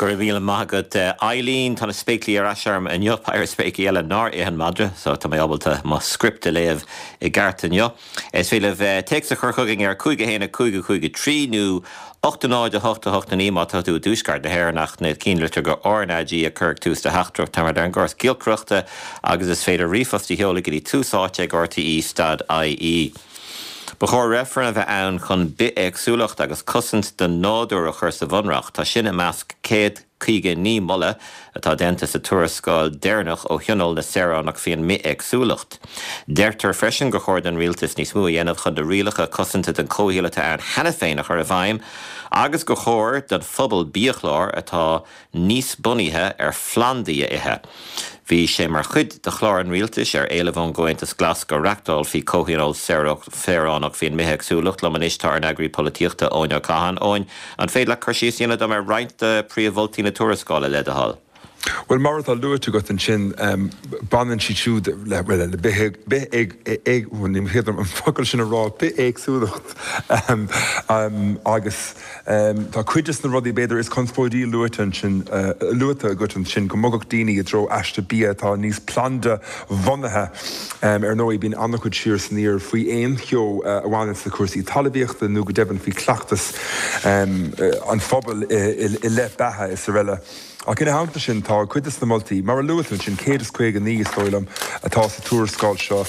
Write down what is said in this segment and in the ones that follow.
Go raibh míle maith agat Eileen. Tá na spéaclaí ar ais orm inniu, péire spéaclaí eile nár ith an madra, so tá mé ábalta mo script a léamh i gceart inniu. Is féidir libh téacs a chur chugainn ar 5 1 5 5 3 nó 8 0 8 8 9 má tá tú i dtuaisceart na hÉireann ach na cinnlitir go RnaG a chur ag tús do theachtaireacht. Táimid ar an gcóras giolcaireachta agus is féidir ríomhphost a sheoladh go dtí tús áite ag rte stad ie. Ba chóir reifreann a bheith ann chun bithéagsúlacht agus cosaint don nádúr a chur sa Bhunreacht. Tá sin i measc 159 moladh atá déanta sa tuarascáil deireanach ó Thionól na Saoránach faoin mbithéagsúlacht. Deirtear freisin gur chóir don rialtas níos mó a dhéanamh chun na rialacha cosanta don chomhshaol atá ann cheana féin a chur i bhfeidhm agus gur chóir don phobal biachlár atá níos bunaithe ar phlandaí a ithe. Bhí sé mar chuid de chlár an rialtais ar éileamh ón gComhaontas Glas go reachtálfaí comhthionól saoránach faoin mbithéagsúlacht. Liom anois tá ár n-eagraí polaitíochta, Eoin Ó Catháin. Eoin, an féidir leat cur síos a dhéanamh dom ar roinnt de phríomh-mholtaí na tuarascála, le do thoil? Bhuel, mar atá luaite agat ansin, baineann siad siúd le, bhuel, le bithéag, bhuel, ní féidir liom an focal sin a rá, bithéagsúlacht agus. Tá cuid de na rudaí, b'fhéidir, is conspóidí luaite ansin, luaite agat ansin, go mbogfadh daoine i dtreo aiste bia atá níos planda-bhunaithe. Ar ndóigh, bíonn an-chuid siar is aniar faoi aon cheo a bhaineanns le cúrsaí talmhaíochta nó go deimhin faoi chleachtas an phobail i leith beatha is araile. Ach ina theannta sin, tá cuid de na moltaí, mar a luaigh tú ansin, 159 is dóigh liom atá sa tuarascáil seo,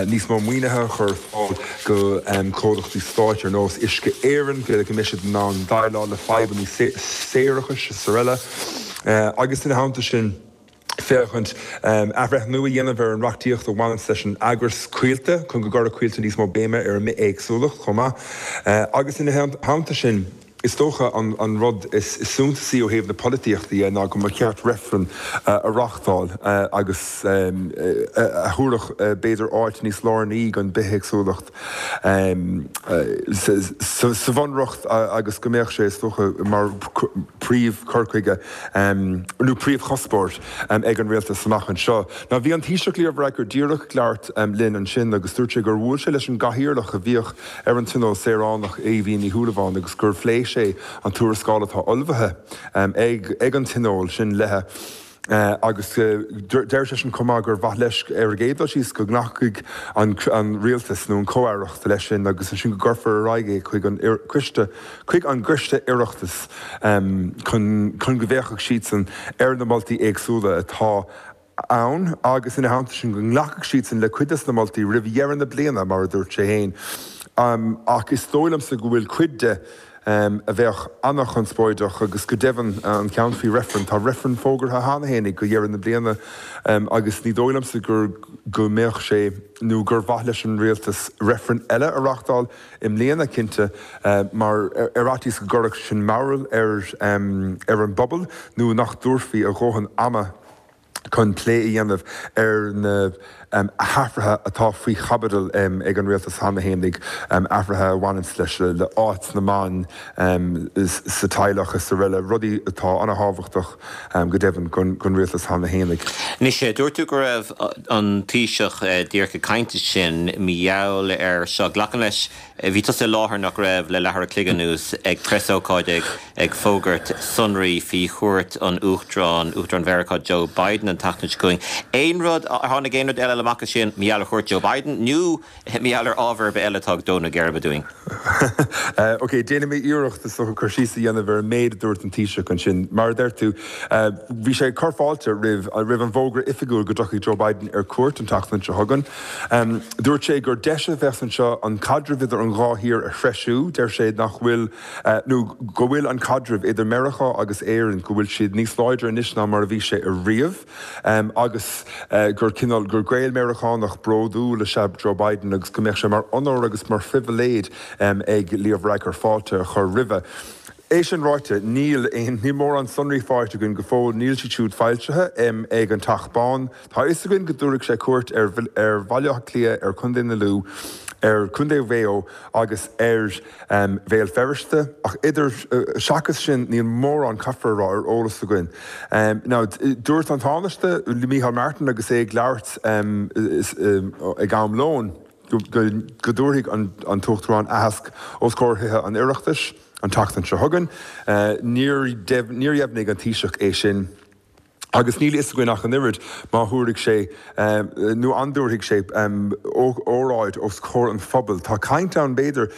níos mó maoinithe a chur ar fáil go comhlachtaí stáit ar nós Uisce Éireann, b'fhéidir go mbeidh siad in ann déileáil le fadhbanna séarachais is araile. Agus ina theannta sin, féachaint athbhreithniú a dhéanamh ar an reachtaíocht a bhaineanns leis an eagras coillte chun go gcuirfeadh coillte níos mó béime ar an mbithéagsúlacht chomh maith. Agus ina theannta sin. Is dócha an rud is suntasaí ó thaobh na polaitíochta dhe ná go mba cheart reifreann a reáchtáil agus a thabharfadh b'fhéidir áit níos lárnaí don bithéagsúlacht sa bhunreacht agus go mbeadh sé is dócha mar príomh chur chuige nó príomhchuspóir ag an rialtas amach anseo. Now bhí an Taoiseach Leo Varadkar díreach ag labhairt linn ansin agus dúirt sé gur bhuail sé leis an gcathaoirleach a bhíodh ar an Tionól Saoránach, Aoibhín Ní Shúilleabháin, agus gur phléigh sé an tuarascáil atá ullmhaithe ag an Tionól sin léi agus deir seisean chomh maith gur mhaith leis ar an gcéad dul síos go nglacfaidh an Rialtas nó an Comh-Aireacht leis sin agus ansin go gcuirfear ar aghaidh é chuig an Coiste chuig an gCoiste Oireachtais chun chun go bhféachfadh siadsan ar na moltaí éagsúla atá ann agus ina theannta sin go nglacfadh siadsan le cuid des na moltaí roimh dheireadh na bliana, mar a dúirt sé féin. Ach is dóigh liomsa go bhfuil cuid de a bheadh an-chonspóideach agus go deimhin an ceann faoi reifreann. Tá reifreann fógartha cheana féin go dheireadh na bliana agus ní dóigh liomsa gur go mbeadh sé nó gur mhaith leis an rialtas reifreann eile a reáchtáil i mbliana, cinnte, mar ar fhaitíos go gcuirfeadh sin mearbhall ar ar an bpobal nó nach dtabharfaí a dhóthain ama chun plé a dhéanamh ar na hathruithe atá faoi chaibidil ag an rialtas cheana fhéinig, athruithe a bhaineanns leis le áit na mban sa teaghlach is araile, rudaí atá an-thábhachtach go deimhin don rialtas cheana fhéinig. Anois, dúirt tú go raibh an Taoiseach díreach ag caint ansin mar gheall air seo. Glacaim leis Bhí tusa i láthair, nach raibh, le leathuair a chloig anuas ag preasócáid ag ag fógairt sonraí faoi chuairt an Uachtaráin, Uachtarán Mheiriceá Joe Biden an tseachtain seo chugainn. Aon rud, ar tháinig aon rud eile amach as sin mar gheall ar chuairt Joe Biden nó mar gheall ar ábhar ar bith eile atá ag dó na geirbe dúinn? Ok, déanfaidh mé iarracht is dócha cur síos a dhéanamh ar an méid a dúirt an Taoiseach ansin. Mar a deir tú, bhí sé ag cur fáilte roimh roimh an bhfógra oifigiúil go dtiocfaidh Joe Biden ar cuairt an tseachtain seo chugainn. Dúirt sé gur deis a bheas anseo an caidreamh idir an dhá thír a threisiú. Deir sé nach bhfuil, nó go bhfuil an caidreamh idir Meiriceá agus Éirinn, go bhfuil siad níos láidre anois ná mar a bhí sé ariamh agus gur cineál, gur Gael-Meiriceánach bródúil is ea Joe Biden agus go mbeadh sé mar onóir agus mar phribhléid ag Leo Varadkar fáilte a chur roimhe. É sin ráite, níl aon, níl mórán sonraí faighte againn go fóill, níl siad siúd foilsithe ag an Teach Bán. Tá a fhios againn go dtabharfaidh sé cuairt ar ar Bhaile Átha Cliath, ar Chontae na Lú, ar Chontae Mhaigh Eo agus ar Bhéal Feirste, ach idir, seachas sin, níl mórán, caithfear a rá, ar eolas againn. Now, dúirt an Tánaiste, Micheál Martin, agus é ag labhairt ag am lóin. go dtabharfaidh an tUachtarán aitheasc os comhair Thithe an Oireachtais an tseachtain seo chugainn. Níor dheimhnigh an Taoiseach é sin agus níl a fhios againn ach an oiread má thabharfaidh sé nó an dtabharfaidh sé óráid os comhair an phobail. Tá caint ann, b'fhéidir,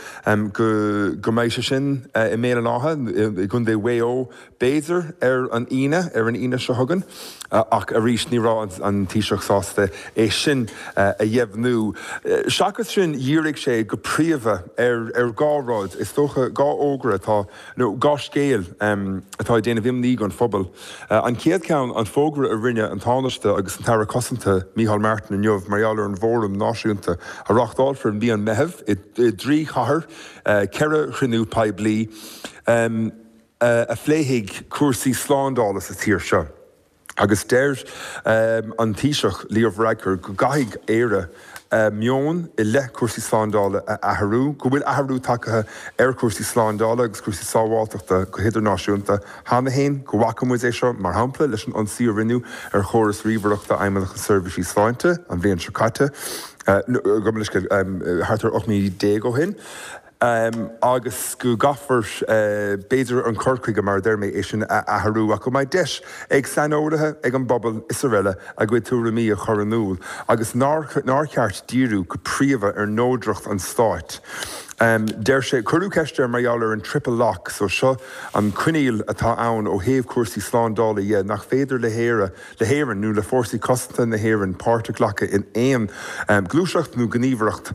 go mbeidh sé sin i mBéal an Átha, i gContae Mhaigh Eo, b'fhéidir, ar an Aoine, ar an Aoine seo chugainn, ach arís ní raibh an Taoiseach sásta é sin a dheimhniú. Seachas sin, dhírigh sé go príomha ar dhá rud, is dócha, dhá fhógra atá, nó dhá scéal atá ag déanamh imní don phobal. An chéad cheann, an fógra a rinne an Tánaiste agus an tAire Cosanta, Micheál Martin inniu mar gheall ar an bhFóram Náisiúnta a reáchtálfar i mí an Mheithimh i dtrí chathair, ceithre chruinniú poiblí. a phléifidh cúrsaí slándála sa tír seo agus deir an Taoiseach Leo Varadkar go gcaithfidh Éire a meon i leith cúrsaí slándála a athrú, go bhfuil athrú tagtha ar chúrsaí slándála agus cúrsaí sábháilteachta go hidirnáisiúnta cheana féin, go bhfaca muid é seo, mar shampla, leis an ionsaí a rinneadh ar chóras ríomhaireachta Fheidhmeannacht na Seirbhísí Sláinte an bhliain seo caite, gabh mo leithscéal, thart ar 18 mí ó shin. agus go gcaithfear, b'fhéidir, an cur chuige, mar a deir mé, é sin a athrú, ach go mbeidh deis ag saineolaithe, ag an bpobal is araile a gcuid tuairimí a chur in iúl agus nár cheart díriú go príomha ar neodracht an stáit. Deir sé, cuireadh ceist air mar gheall ar an triple lock, so seo an coinníoll atá ann ó thaobh cúrsaí slándála dhe, nach féidir le hÉire, le hÉirinn nó le Fórsaí Cosanta na hÉireann páirt a ghlacadh in aon ghluaiseacht nó gníomhaireacht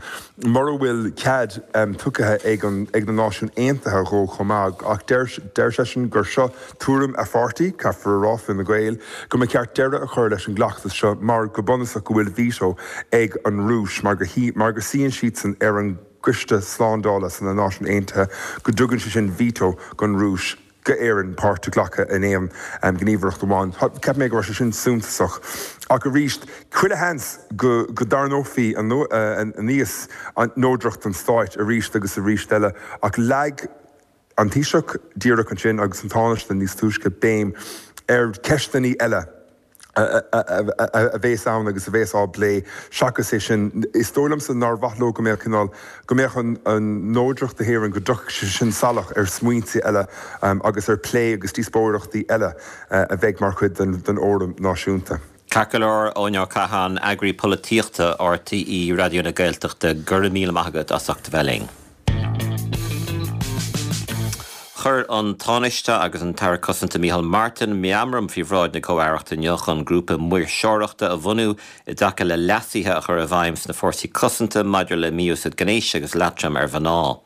mura bhfuil cead tugtha ag ag na Náisiúin Aontaithe dhó chomh maith. Ach deir deir seisean gur seo tuairim a pháirtí, caithfear a rá, Fine Gael, go mba cheart deireadh a chur leis an gcleachtas seo mar go bunúsach go bhfuil veto ag an Rúis mar go mar go suíonn siadsan ar an gCoiste Slándála sna Náisiúin Aontaithe go dtugann sé sin veto don Rúis. go Éirinn páirt a ghlacadh in aon ghníomhaireacht amháin. Cheap mé go raibh sé sin suntasach. Ach arís, chuile sheans go dtarraingeofaí aníos neodracht an stáit arís agus arís eile. Ach leag an Taoiseach díreach ansin agus an Tánaiste níos túisce béim ar cheisteanna eile. a bhéas ann agus a bhéas á bplé seachas é sin. Is dóigh liomsa nár mhaith leo go mbeadh cineál, go mbeadh an neodracht na hÉireann, go dtiocfadh sé sin salach ar smaointe eile agus ar plé agus díospóireachtaí eile a bheidh mar chuid den Fhóram Náisiúnta. Ceart go leor, Eoin Ó Catháin, Eagraí Polaitíochta RTÉ Raidió na Gaeltachta, go raibh míle maith agat as ucht a bheith linn. Chuir an Tánaiste agus an tAire Cosanta Micheál Martin meamram faoi bhráid na Comh-Aireachta inniu chun grúpa maoirseoireachta a bhunú i dtaca le leasuithe a chur i bhfeidhm sna fórsaí cosanta maidir le mí-úsáid gnéis agus leatrom ar mhná.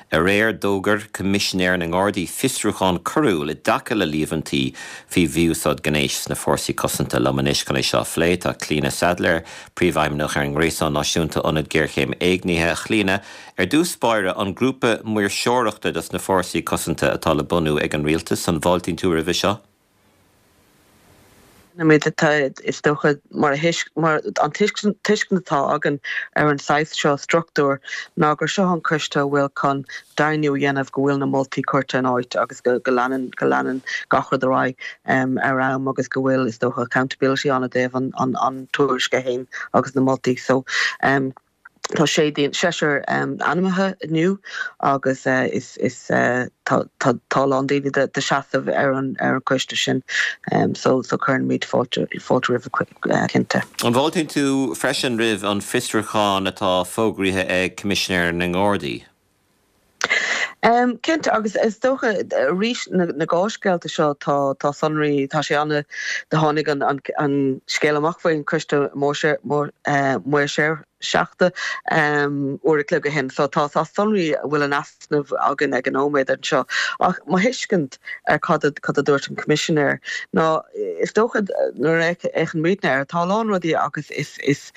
Aréir d'fhógair Coimisinéir na nGardaí fiosrúchán coiriúil i dtaca le líomhaintí faoi mhí-úsáid gnéis sna fórsaí cosanta. Liom anois chun é seo a phlé tá Clíona Saidléar, Príomhfheidhmeannach ar an nGréasán Náisiúnta Ionad Géarchéim Éignithe. A Chlíona, Ar dtús báire, an grúpa maoirseoireachta dos na fórsaí cosanta atá le bunú ag an rialtas, an bhfáiltíonn tú roimhe seo? Is dócha, mar an tuiscint atá againn ar an saghas seo struchtúir ná gur seo an coiste a bhfuil chun deimhniú a dhéanamh go bhfuil na moltaí curtha in áit agus go leanann go leanann gach rud ar aghaidh ar am agus go bhfuil, is dócha, accountability ann i dtaobh an tuairisce féin agus na moltaí. So. Tá sé seisear ainmnithe inniu agus is tá tá a lán daoine de seasamh ar an ar an choiste sin so so cuireann fáilte fáilte roimhe cinnte. An bhfáiltíonn tú freisin roimh an bhfiosrúchán atá fógraithe ag Coimisinéir na nGardaí? Cinnte, agus is dócha arís na gnáthscéalta seo tá tá sonraí, tá sé ana, do tháinig an an an scéal amach faoin choiste maoirseachta uair a chloig ó shin so tá tá sonraí a bhfuil in easnamh againn ag an nóiméad anseo. Ach mo thuiscint ar cad a cad a dúirt an Coimisinéir ná is dócha nuair a fhéachann muidne air tá a lán rudaí agus is is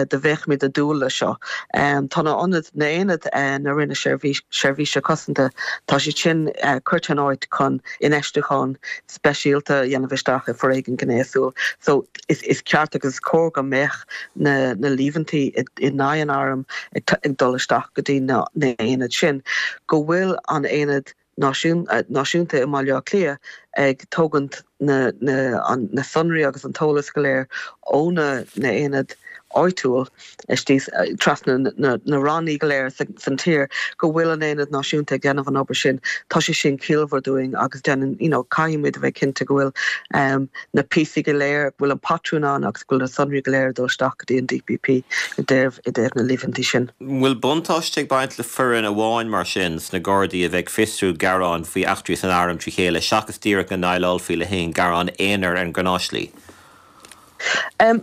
do bheadh muid ag dúil leis seo. Tá na ionaid, na aonaid na Roinne Seirbhíse Cosanta, tá siad sin curtha in áit chun infheistiúchán speisialta a dhéanamh isteach i foréigean gnéasúil. So is is ceart agus is cóir go mbeadh na na líomhaintí in aghaidh an airm ag dul isteach go dtí na na aonaid sin. Go bhfuil an aonad náisiúnta i mBaile Átha Cliath. ag tógaint na na sonraí agus an t-eolas go léir ó na n-aonad áitiúil istigh trasna na rannaí go léir san tír, go bhfuil an aonad náisiúnta ag déanamh an obair sin. Tá sé sin ciallmhar dúinn agus déanann, you know, caithfidh muid a bheith cinnte go bhfuil na píosaí go léir, go bhfuil an patrún ann agus go bhfuil na sonraí go léir ag dul isteach go dtí an DPP i dtaobh i dtaobh na líomhaintí sin. An bhfuil buntáiste ag baint le foireann amháin mar sin sna Gardaí a bheith ag fiosrú gearáin faoi eachtraí san arm trí chéile seachas díreach go ndéileálfaí le haon ghearán aonair ar an ngnáthshlí?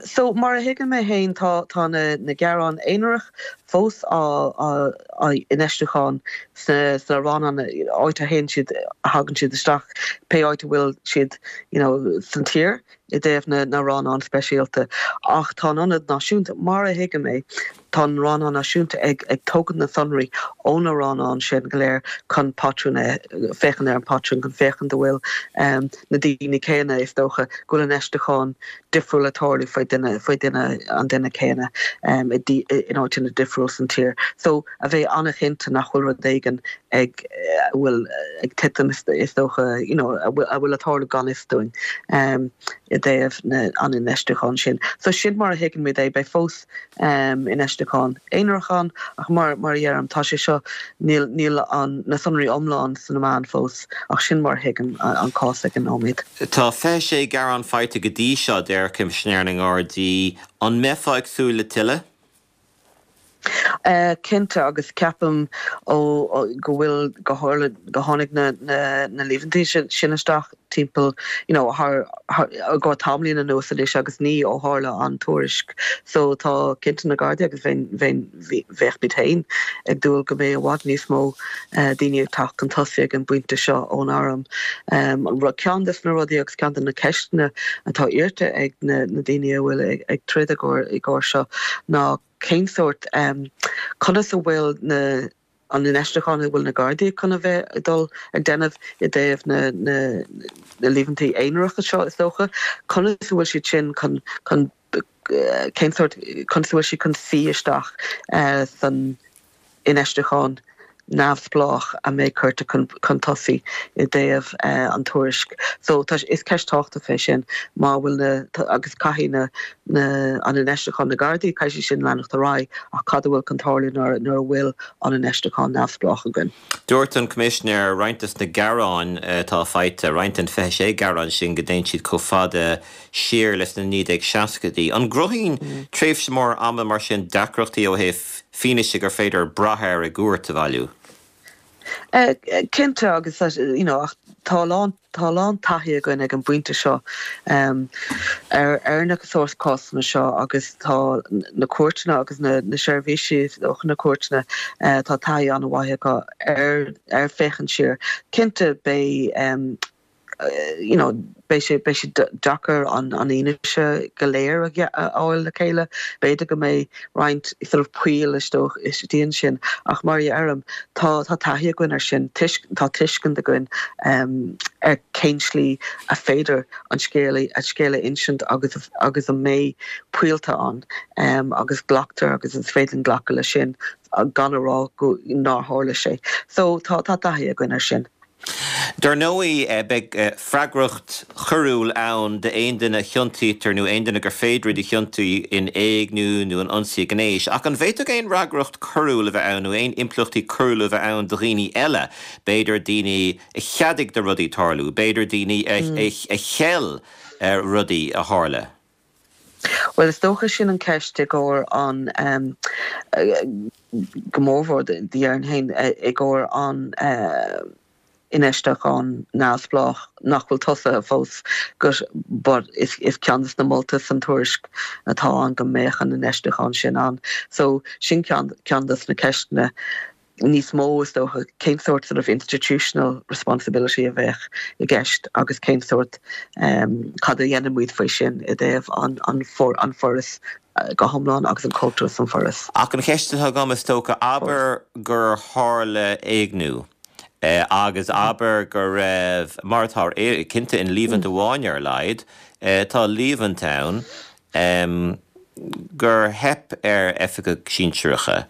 So, mar a thuigeann mé féin, tá tá na na gearáin aonarach fós á á á infheistiúchán sna sna rannáin áit a théann siad a thagann siad isteach pé áit a bhfuil siad you know san tír i dtaobh na na rannán speisialta. Ach tá an ionad náisiúnta, mar a thuigim é, Tá an Rannán Náisiúnta ag ag tógaint na sonraí ó na rannáin sin go léir chun patrún a, féachaint ar an patrún, chun féachaint an bhfuil na daoine céanna, is dócha, go bhfuil infheistiúchán difriúil ag tarlú faoi duine, faoi duine, an duine céanna i in áiteanna difriúil san tír. So, a bheith an-chinnte nach bhfuil rud éigin ag, a bhfuil ag titim is dócha, you know, a bhfuil, a bhfuil ag tarlú gan fhios dúinn i dtaobh na, an infheistiúcháin sin. So, sin mar a thuigeann muid é. Beidh fós infheistiúchán aonarach ann, ach mar mar a dheirim, tá sé seo, níl níl an na sonraí iomlán sna meáin fós, ach sin mar a thuigim an cás ag an nóiméad. Tá 26 gearán faighte go dtí seo, deir Coimisinéir na nGardaí. An mbeifeá ag súil le tuilleadh? Cinnte, agus ceapaim ó go bhfuil, go tharla, go tháinig na na na líomhaintí sin isteach timpeall you know thar thar i gcomhair tamaillín anuas anois agus ní ó tharla an tuairisc so tá cinnte na Gardaí agus bheinn bheinn bheadh muid féin ag dúil go mbeidh i bhfad níos mó daoine ag teacht chun tosaigh ag an bpointe seo ón arm. An rud ceann des na rudaí agus ceann de na ceisteanna atá iarrta ag na na daoine a bhfuil ag ag troid i gcomhair i gcomhair seo ná cén sórt conas a bhfuil na an infheistiúchán a bhfuil na Gardaí chun a bheith ag dul ag déanamh i dtaobh na na na líomhaintí aonaracha seo is dócha, conas a bhfuil siad sin chun chun cén sórt conas a bhfuil siad chun suí isteach san infheistiúchán neamhspleách a mbeidh curtha chun chun tosaigh i dtaobh an tuairisc. So tá is ceist tábhachtach é sin má bhfuil na agus caithfidh na na an infheistiúchán na Gardaí, caithfidh sé sin leanacht ar aghaidh ach cad a bhfuil chun tarlú nuair nuair a bhfuil an infheistiúchán neamhspleách againn? Dúirt an Coimisinéir roinnt des na gearáin atá faighte, roinnt den 26 gearán sin, go dtéann siad chomh fada siar leis na 1960idí. An gcruthaíonn tréimhse mór ama mar sin deacrachtaí ó thaobh fianaise gur féidir brath air i gcúirt a bhailiú? Cinnte agus you know ach tá a lán tá a lán taithí againn ag an bpointe seo ar ar na sórt cásanna seo agus tá na cúirteanna agus na na seirbhísí is dócha na cúirteanna tá taithí an-mhaith acu ar ar féachaint siar. Cinnte beidh you know beidh sé beidh sé deacair an an fhianaise go léir a fháil le chéile. B'fhéidir go mbeidh roinnt sort of poill istigh ansin ach mar a dheirim tá tá taithí againn ar sin, tá tuiscint againn ar cén slí a féidir an scéal an scéal a insint agus agus an mbeidh poillta ann agus glactar agus is féidir linn glacadh leis sin gan a rá go nár tharla sé. So tá tá taithí againn ar sin. Dar ndóigh, beidh freagracht choiriúil ann d'aon duine a chiontaítear nó aon duine gur féidir iad a chiontú in éigniú nó in ionsaí gnéis. Ach an bhféadfadh aon fhreagracht choiriúil a bheith ann nó aon impleachtaí coiriúla a bheith ann do dhaoine eile, b'fhéidir daoine a cheadaigh do rudaí tarlú, b'fhéidir daoine a cheil rudaí a tharla? Bhuel, is dócha sin an ceist i gcomhair an, go mórmhór déarfainn féin, i gcomhair an infheistiúchán neamhspleách nach bhfuil tosaithe fós but is ceann de na moltaí san tuairisc atá ann go mbeadh an infheistiúchán sin ann. So sin ceann de na ceisteanna. níos mó, is dócha, cén sórt sort of institutional responsibility a bheadh i gceist agus cén sórt, cad a dhéanann muid faoi sin i dtaobh an, an, an foras go hiomlán agus an cultúr san foras. Ach an cheist atá agam, is dócha, abair gur tharla éigniú agus abair go raibh, mar atá cinnte in líomhaint amháin ar a laghad, tá líomhaint ann gur theip ar oifigigh sinsearacha.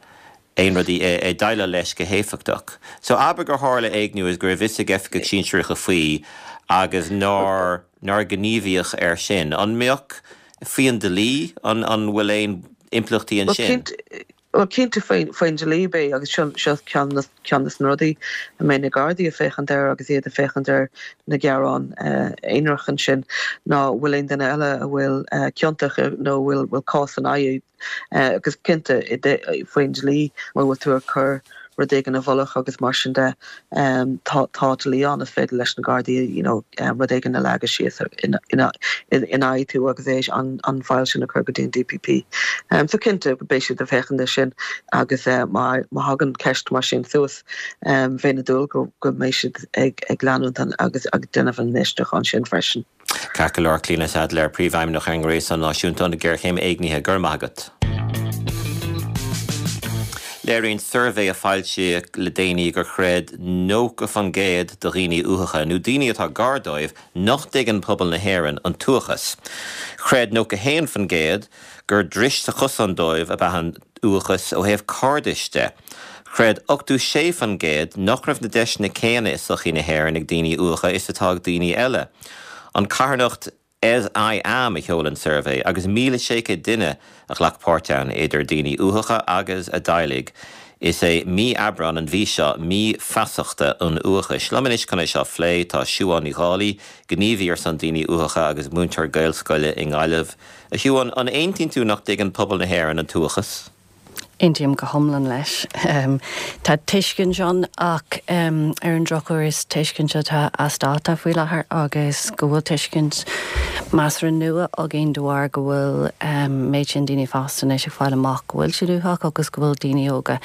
Aon rudaí ag déileáil leis go héifeachtach. So abair gur tharla éigniú agus go raibh fhios ag oifigigh sinsearacha faoi agus nár nár gníomhaíodh air sin. An mbeadh, faoi an dlí, an an bhfuil aon impleachtaí ansin? Bhuel cinnte faoin dlí beidh agus seo seo ceann ceann de na rudaí a mbeidh na Gardaí ag féachaint air agus iad ag féachaint ar na gearáin aonarach ansin ná bhfuil aon duine eile a bhfuil ciontach nó a bhfuil bhfuil cás ina aghaidh Agus cinnte, faoin dlí, má bhfuil tú ag cur rud éigin i bhfolach agus mar sin de, tá tá dlí ann, is féidir leis na Gardaí you know rud éigin a leagadh síos ina aghaidh tú agus é an file sin a chur go dtí an DPP. So cinnte, beidh siad ag féachaint air sin agus má thagann ceist mar sin suas, bheinn ag dúil go mbeidh siad ag leanúint agus ag déanamh an fhiosrúcháin sin freisin. Ceart go leor, Clíona Saidléir, Príomhfheidhmeannach ar an nGréasán Náisiúnta um Ghéarchéim Éignithe, go raibh maith agat. Léiríonn suirbhé a foilsíodh le déanaí gur chreid 90% de dhaoine uathacha, nó daoine atá gar dóibh, nach dtuigeann pobal na hÉireann an t-uathachas. Chreid 91% gur dris sa chosán dóibh ab ea an t-uathachas ó thaobh cairdis de. Chreid 86% nach raibh na deiseanna céanna i sochaí na hÉireann ag daoine uathacha is atá ag daoine eile. An carthanacht As I Am a sheol an suirbhé agus 1,600 duine a ghlac páirt ann, idir daoine uathacha agus a dteaghlaigh. Is é mí Aibreán, an mhí seo, mí feasachta an uathachais. Liom anois chun é seo a phlé tá Siubhán Ní Dhálaigh, gníomhaí ar son daoine uathacha agus múinteoir Gaelscoile i nGaillimh. A Shiubhán, an aontaíonn tú nach dtuigeann pobal na hÉireann an t-uathachas? Aontaím go hiomlán leis. Tá tuiscint ann ach ar an drochuair is tuiscint atá as dáta faoi láthair agus go bhfuil tuiscint measartha nua againn de bharr go bhfuil méid sin daoine fásta anois ag fáil amach go bhfuil siad uathach agus go bhfuil daoine óga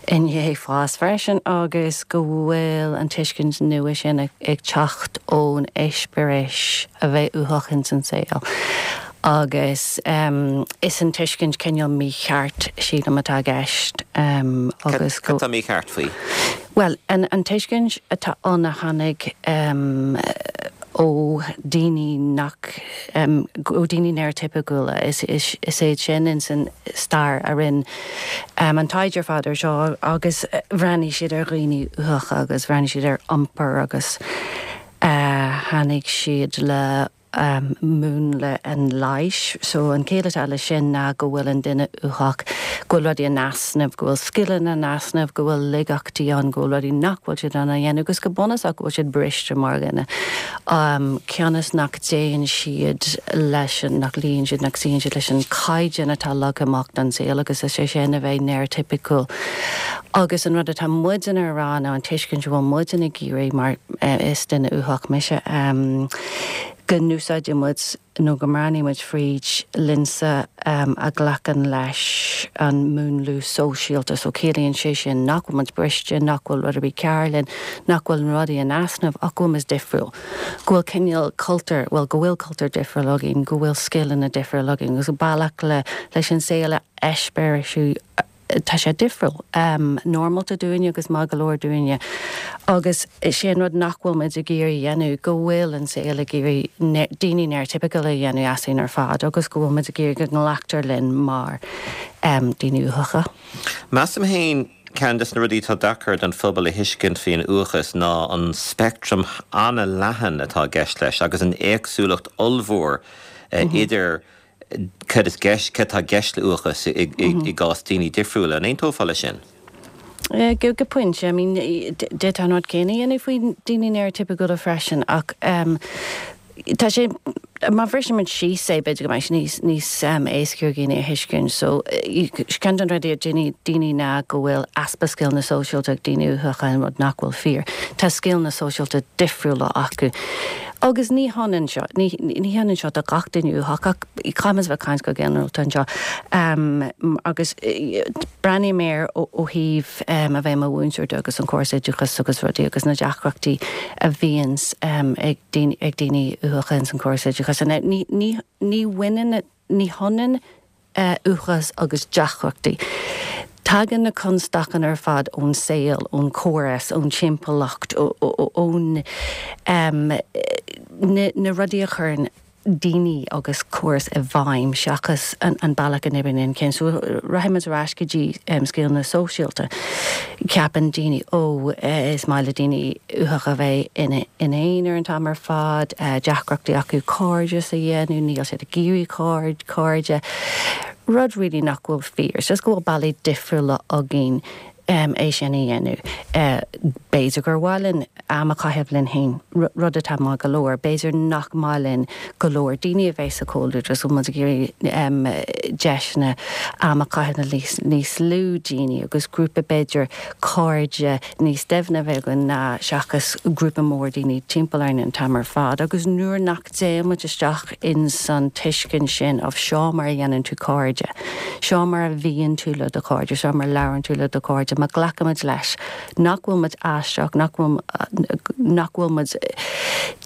i ndiaidh fás freisin agus go bhfuil an tuiscint nua sin ag teacht ón eispéireas a bheith uathach ins an saol. Agus is an tuiscint cineál mícheart, sílim, atá i gceist agus go. Cad tá mícheart faoi? Bhuel, an tuiscint atá ann a tháinig ó daoine nach, ó daoine néaratipiciúla, is iad sin ins an stair a rinne an taighde ar fad ar seo agus bhreathnaigh siad ar dhaoine uathacha agus bhreathnaigh siad ar iompar agus tháinig siad le múnla an leighis. So an chéill atá leis sin ná go bhfuil an duine uathach, go bhfuil rudaí in easnamh, go bhfuil scileanna in easnamh, go bhfuil laigeachtaí ann, go bhfuil rudaí nach bhfuil siad in ann a dhéanamh agus go bunúsach go bhfuil siad briste mar dhuine. Cionn is nach dtéann siad leis an, nach luíonn siad, nach suíonn siad leis an caighdeán atá leagtha amach don saol agus is é sin a bheith néaratipiciúil. Agus an rud atá muidne a rá nó an tuiscint a bhfuil muidne ag iarraidh mar is duine uathach mise, go n-úsáideann muid nó go mbreathnaíonn muid fríd lionsa a ghlacann leis an múnlú sóisialta. So ciallaíonn sé sin nach bhfuil muid briste, nach bhfuil rud ar bith cearr linn, nach bhfuil rudaí in easnamh ach go bhfuil muid difriúil. Go bhfuil cineál cultúr, bhuel go bhfuil cultúr difriúil againn, go bhfuil scileanna difriúil againn agus bealach le leis an saol a eispéireasú tá sé difriúil, normálta dúinne agus maith go leor dúinne. Agus is é an rud nach bhfuil muid ag iarraidh a dhéanamh, go bhfuil an saol ag iarraidh daoine néaratipiciúla a dhéanamh asainn ar fad agus go bhfuil muid ag iarraidh go nglactar linn mar daoine uathacha. Measaim féin, ceann des na rudaí atá deacair don phobal a thuiscint faoin uathachas ná an speictream an-leathan atá i gceist leis agus an éagsúlacht ollmhór idir cad is gceist, cad tá i gceist le uathachas i gcás daoine difriúla. An aontófá leis sin? Go pointe. I mean, d'fhéadfá an rud céanna a dhéanamh faoi daoine néaratipiciúla freisin ach tá sé, má bhriseann muid síos é, b'fhéidir go mbeidh sé níos, níos éasca ar dhaoine a thuiscint. So, ceann de na rudaí a deir daoine ná go bhfuil easpa scileanna sóisialta ag daoine uathacha, an rud nach bhfuil fíor. Tá scileanna sóisialta difriúla acu. Agus ní hionann seo, ní hionann seo do gach duine uathach, ach caithfimid a bheith ag caint go ginearálta anseo. Agus breathnaím air ó thaobh a bheith i mo mhúinteoir de agus an córas oideachais agus rudaí agus na deacrachtaí a bhíonns ag daoine uathacha ins an córas oideachais. Ní bhaineann, ní hionann uathachas agus deacrachtaí. Tagann na constaicí ar fad ón saol, ón chóras, ón timpeallacht, ón na rudaí a chuireann. daoine agus córas i bhfeidhm seachas an bealach a n-oibríonn an ceann. So rachaidh muid ar ais go dtí scileanna sóisialta. Ceapann daoine, ó, is maith le daoine uathacha a bheith ina n-aonar an t-am ar fad, deacrachtaí acu cairdeas a dhéanamh, níl siad ag iarraidh cairde. Rud really nach bhfuil fíor. It's just go bhfuil bealaí difriúla againn é sin a dhéanamh. B'fhéidir gur mhaith linn am a chaitheamh linn féin, rud atá maith go leor. B'fhéidir nach maith linn go leor daoine a bheith sa chomhluadar agus go bhfuil muid ag iarraidh deiseanna am a chaitheamh le níos lú daoine agus grúpa b'fhéidir cairde níos doimhne a bheith againn ná seachas grúpa mór daoine timpeall orainn an t-am ar fad. Agus nuair nach dtéann muid isteach ins an tuiscint sin of seo mar a dhéanann tú cairde, seo mar a bhíonn tú le do chairde, seo mar a labhrann tú le do chairde, má ghlacaimid leis nach bhfuil muid aisteach, nach bhfuil, nach bhfuil muid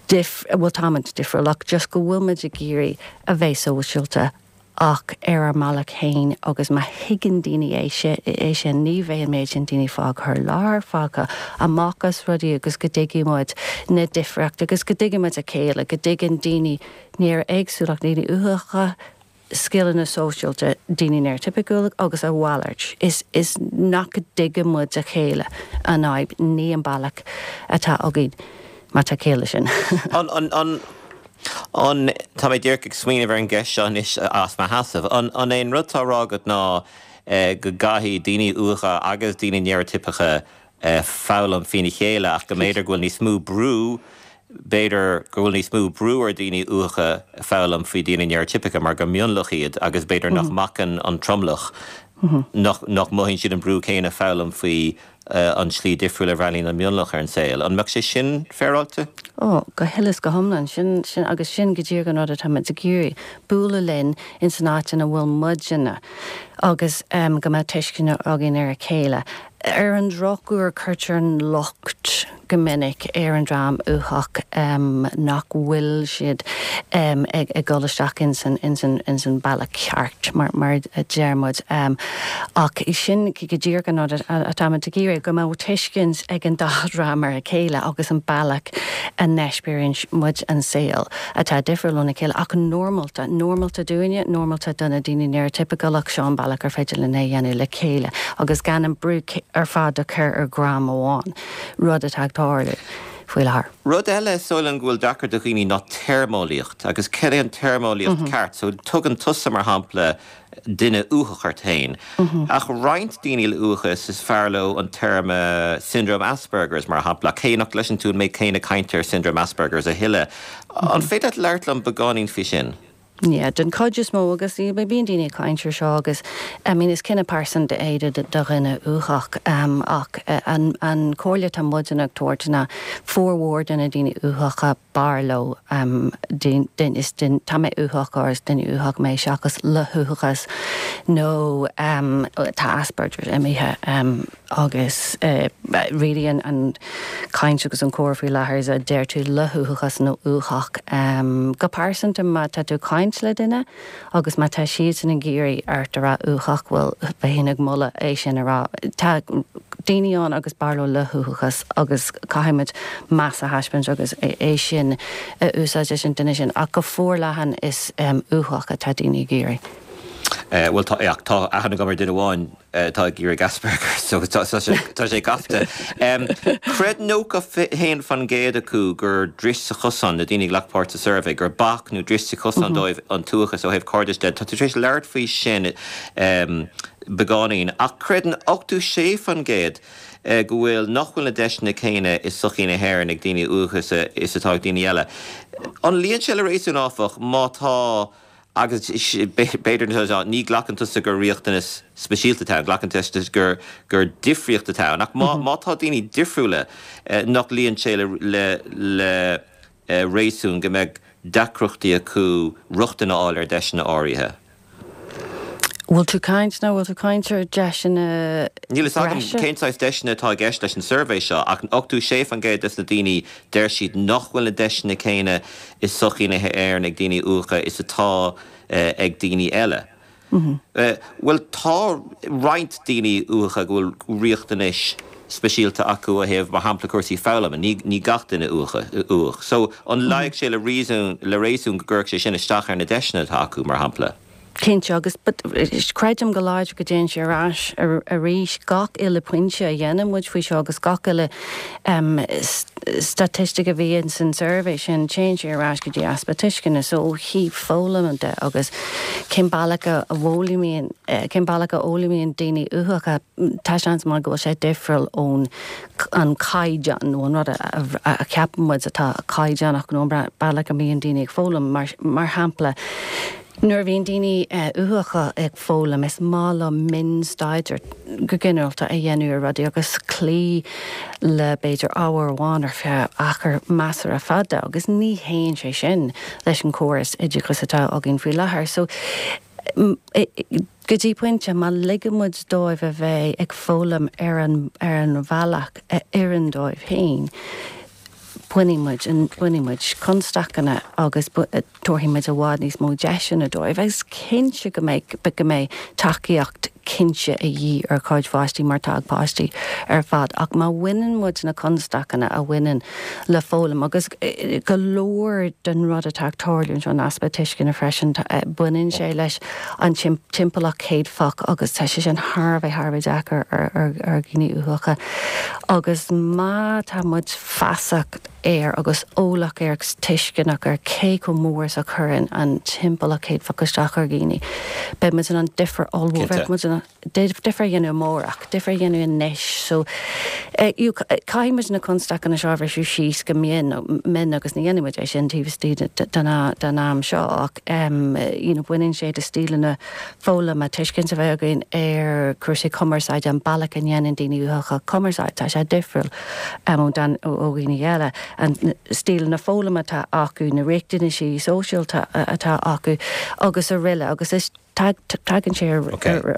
dif, bhuel táimid difriúil ach just go bhfuil muid ag iarraidh a bheith sóisialta ach ar ár mbealach féin agus má thuigeann daoine é sin, ní bheidh an méid sin daoine fágtha ar lár, fágtha amach as rudaí agus go dtuigfidh muid na difríochtaí agus go dtuigfidh muid a chéile, go dtuigeann daoine néara-éagsúlacht, daoine uathacha, scileanna sóisialta, daoine néaratipiciúla agus a mhalairt. Is is nach dtuigeann muid a chéile an fhadhb, ní an bealach atá againn, má tá ciall leis sin. An, an, an. An, tá mé díreach ag smaoineamh ar an gceist seo anois as mo sheasamh, an, an é an rud atá á rá agat ná go gcaithfidh daoine uathacha agus daoine néaratipiceacha foghlaim faoina chéile ach go mb'fhéidir go bhfuil níos mó brú, b'fhéidir go bhfuil níos mó brú ar dhaoine uathacha foghlaim faoi dhaoine néaratipiceacha mar gur mionlach iad agus b'fhéidir nach mbacann an tromlach, nach, nach mothaíonn siad an brú céanna foghlaim faoi an tslí difriúil a bhreathnaíonn an mionlach ar an saol. An mbeadh sé sin féaráilte? Ó, go huile is go hiomlán. Sin, sin, agus sin go díreach an rud atá muid ag iarraidh, bualadh linn ins an áit ina bhfuil muidne agus go mbeadh tuiscint againn ar a chéile. Ar an drochuair, cuirtear an locht go minic ar an dream uathach nach bhfuil siad ag dul isteach ins an bealach ceart, mar a deir muid. Ach sin go díreach an rud atá muid ag iarraidh, go mbeadh tuiscint ag an dá dhream ar a chéile agus an bealach a n-eispéiríonn muid an saol atá difriúil óna chéile ach normálta, normálta dúinne, normálta do na daoine néaratipiciúla ach seo an bealach ar féidir linn é a dhéanamh le chéile agus gan an brú ar fad a chur ar dhream amháin. rud atá ag tarlú faoi láthair. Rud eile is dóigh liom go bhfuil deacair do dhaoine ná téarmeolaíocht agus cad é an téarmeolaíocht ceart. So tugann tusa mar shampla duine uathach ort féin ach roinnt daoine le uathachas is fearr leo an téarma syndrome Asperger's mar shampla ach cé nach gcloiseann tú an méid céanna cainte ar syndrome Asperger's a thuilleadh. An féidir leat labhairt liom beagáinín faoi sin? Yeah, den chuid is mó agus bíonn daoine ag caint ar seo agus I mean is cinneadh pearsanta é do dhuine uathach ach an an comhairle atá muidne ag tabhairt ná formhór de na daoine uathacha b'fhearr leo duine is duine tá mé uathach or is duine uathach mé seachas le huathachas nó tá Asperger's imithe. Agus really an chaint agus an comhrá faoi láthair is an deir tú le huathachas nó uathach. Go pearsanta má tá tú ag caint le duine agus má tá siadsan ag iarraidh ort a rá uathach, bhuel bheinn ag moladh é sin a rá. Tá daoine ann agus b'fhearr leo le huathachas agus caithfidh muid meas a thaispeáint agus é sin a úsáid leis an duine sin ach go forleathan is uathach atá daoine ag iarraidh. Bhuel tá, tá aithne agam ar duine amháin atá ag iarraidh Asperger's so tá sé gafa. Chreid 91% acu gur dris sa chosán, na daoine a ghlac páirt sa suirbhé, gur bac nó dris sa chosán dóibh an t-uathachas ó thaobh cairdis de. Tá tú tar éis labhairt faoi sin beagáinín ach creideann 86% go bhfuil, nach bhfuil na deiseanna céanna i sochaí na hÉireann ag daoine uathacha is atá ag daoine eile. An luíonn sé le réasún áfach má tá Agus b'fhéidir, ní ghlacann tusa gur riachtanas speisialta atá ann, glacann tusa gur gur difríocht atá ann. Ach má má tá daoine difriúla, nach luíonn sé le le le réasún go mbeadh deacrachtaí acu rochtain a fháil ar deiseanna áirithe? Bhfuil tú caint nó bhfuil tú caint ar deiseanna Níl fhios agam breise? cén saghas deiseanna atá i gceist leis an suirbhé seo, ach 86% des na daoine deir siad nach bhfuil na deiseanna céanna i sochaí na hÉireann ag daoine uathacha is atá ag daoine eile. Bhuel, tá roinnt daoine uathacha go bhfuil riachtanais. speisialta acu ó thaobh, mar shampla, cúrsaí foghlama. Ní, ní gach duine uathach. So, an luífeadh sé le réasún, le réasún go gcuirfeadh sé sin isteach ar na deiseanna atá acu, mar shampla? Cinnte, agus but creidim go láidir go dtéann sé ar ais arís gach uile pointe a dhéanann muid faoi seo agus gach uile staitistic a bhí ins an suirbhé sin, téann sé ar ais go dtí easpa tuisceana. So ó thaobh foghlama de agus cén bealach a bhfoghlaimíonn, cén bealach a fhoghlaimíonn daoine uathacha, tá seans maith go bhfuil sé difriúil ón an caighdeán nó an rud a cheapann muid atá caighdeánach nó an bealach a mbíonn daoine ag foghlaim. Mar shampla, Nuair a bhíonn daoine uathacha ag foghlaim, is maith leo mionstaidéar go ginearálta a dhéanamh ar rudaí agus cloí le b'fhéidir ábhar amháin ar feadh achar measartha fada agus ní théann sé sin leis an chóras oideachais atá againn faoi láthair. So, go dtí pointe, má ligeann muid dóibh a bheith ag foghlaim ar an ar an bhealach a oireann dóibh féin, bainfidh muid, bainfidh muid constaiceanna agus tabharfaidh muid i bhfad níos mó deiseanna dóibh agus cinnte go mbeidh, go mbeidh tacaíocht cinnte a dhíth ar chuid pháistí mar tá ag páistí ar fad ach má bhaineann muid na constaiceanna a bhaineann le foghlaim agus go leor den rud atá ag tarlú anseo, an easpa tuisceana freisin, baineann sé leis an timpeallacht chéadfach agus tá sé sin thar a bheith, thar a bheith deacair ar dhaoine uathacha agus má tá muid feasach air agus eolach air agus tuisceanach ar cé chomh mór is a chuireann an timpeallacht chéadfach isteach ar dhaoine, beidh muid in ann difear ollmhór, bheadh muid in ann difear a dhéanamh amárach, difear a dhéanamh anois. So, caithfidh muid na constaiceanna seo a bhriseadh síos go mion, mion agus ní dhéanfaidh muid é sin taobh istigh den am seo ach you know baineann sé de stíleanna foghlama, tuiscint a bheith againn ar chúrsaí cumarsáide, an bealach a ndéanann daoine uathacha cumarsáid, tá sé difriúil ó dhaoine eile, an stíleanna foghlama atá acu, na riachtanaisí sóisialta atá acu agus araile agus is tagann sé i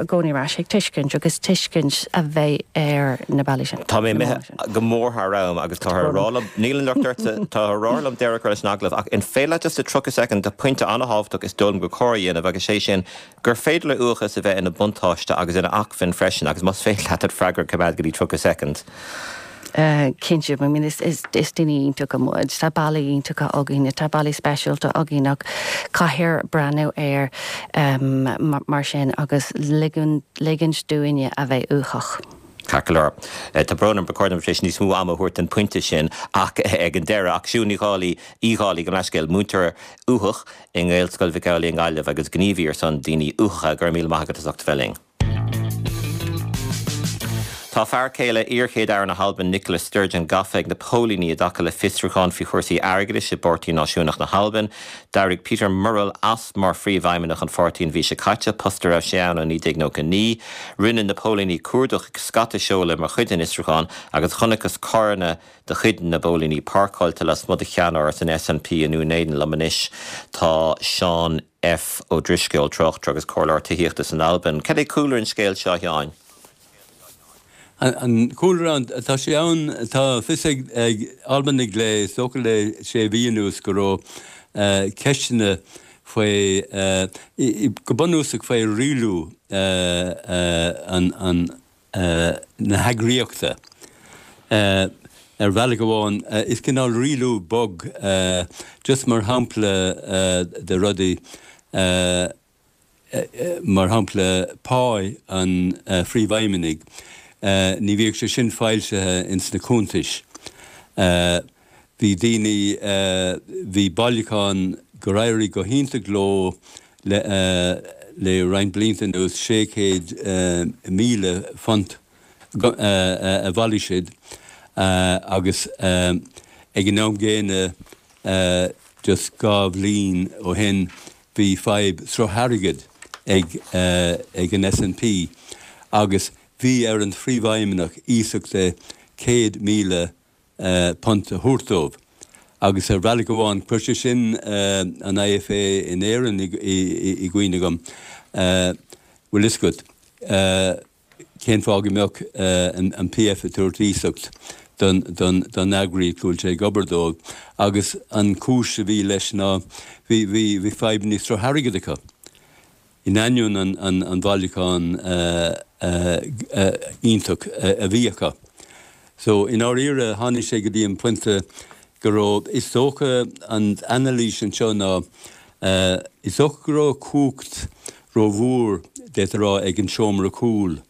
gcónaí ar ais ag tuiscint agus tuiscint a bheith ar na bealaí sin. Tá mé imithe go mór thar am agus táthar a rá liom, níl an locht ortsa, táthar a rá liom deireadh a chur leis an agallamh ach an féidir leat just i 30 soicind, tá pointe an-thábhachtach is dóigh liom gur cóir a dhéanamh agus sé sin gur féidir le uathachas a bheith ina buntáiste agus ina acmhainn freisin agus más féidir leat an freagra a choimeád go dtí 30 soicind. Cinnte, I mean is daoine iontacha muid, tá bealaí iontacha againn, tá bealaí speisialta againn ach caithfear breathnú air mar sin agus ligint dúinne a bheith uathach. Ceart go leor. Tá brón orm, ba chóir dom tar éis níos mó ama a thabhairt don phointe sin ach ag an deireadh. Ach Siún Ní Dhálaigh, Uí Dhálaigh, gabh mo leithscéal, múinteoir uathach i nGaelscoil Mhic Amhlaigh i nGaillimh agus gníomhaí ar son daoine uathacha, go raibh míle maith agat as ucht a bheith linn. Tá fear céile iar-Chéad-Aire na hAlban Nicola Sturgeon gafa ag na póilíní i dtaca le fiosrúchán faoi chúrsaí airgeadais i bPáirtí Náisiúnach na hAlban. D'éirigh Peter Murrell as mar phríomhfheidhmeannach an pháirtí an mhí seo caite, post a raibh sé ann ó 1999. Rinne na póilíní cuardach ag scata seoladh mar chuid den fhiosrúchán agus chonacthas carranna de chuid na bpóilíní páirceáilte lasmuigh de cheannáras an SNP i nDún Éideann. Liom anois tá Seán F. Ó Drisceoil, tráchtaire agus comhairleoir tithíochta san Albain. Cad é cúlra an scéil seo, a Sheáin? An cúlra, tá sé ann, tá fios ag Albanaigh le, is dócha le sé mhí anuas go raibh ceisteanna faoi, go bunúsach faoi rialú an, na heagraíochta. Ar bhealach amháin, is cineál rialú bog, just mar shampla de rudaí, mar shampla pá an phríomhfheidhmeannaigh, ní bhíodh sé sin foilsithe ins na cuntais. Bhí daoine, bhí bailiúchán gur éirigh go hiontach leo le le roinnt blianta anuas, 600,000 phunt a bhailigh siad agus ag an am gcéanna just 2 bhliain ó shin bhí fadhb sruth airgid ag ag an SNP agus bhí ar an phríomhfheidhmeannach iasacht de 100,000 punt a thabhairt dóibh agus ar bhealach amháin chuir sé sin an IFA in Éirinn i gcuimhne dhom. Bhfuil fhios agat cén fáth go mbeadh an PF ag tabhairt iasacht don eagraíocht go bhfuil sé ag obair dóibh agus an chúis a bhí leis ná bhí bhí fadhbanna sruth airgid acu. In ainneoin an bhailiúcháin iontach a bhí acu. So, i ndáiríre, tháinig sé go dtí an pointe go raibh, is dócha, an anailís anseo ná, is dócha go raibh cumhacht rómhór, d'fhéadfá a rá, ag an seomra cúil,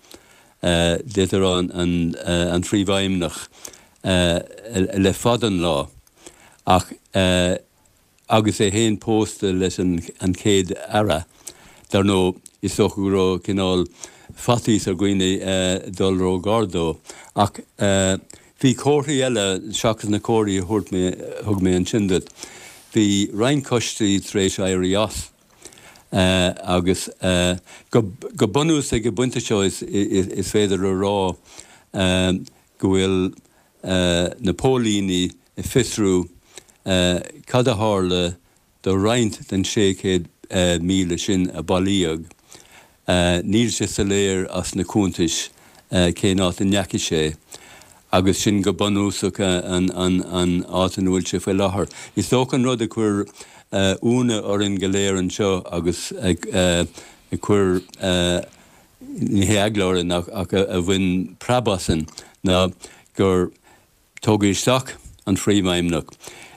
d'fhéadfá a rá, an Phríomhfheidhmeannach, le fada an lá. Ach. agus é féin pósta leis an Chéad Aire, dar ndóigh, is dócha go raibh cineál faitíos ar dhaoine dul ró-ghar dó. Ach bhí comharthaí eile seachas na comharthaí a thabhairt mé, thug mé ansin duit. Bhí roinnt coistí tar éis éirí as agus go bunúsach ag an bpointe seo is féidir a rá go bhfuil na póilíní ag fiosrú cad a tharla do roinnt den 600,000 sin a bailíodh. Níl sé soiléir as na cuntais cén áit a ndeachaigh sé agus sin go bunúsach an áit ina bhfuil sé faoi láthair. Is dócha an rud a chuir ionadh orainn go léir anseo agus a chuir ní hé eagla orainn ach a bhain preab asainn ná gur tógadh isteach an Phríomhfheidhmeannach.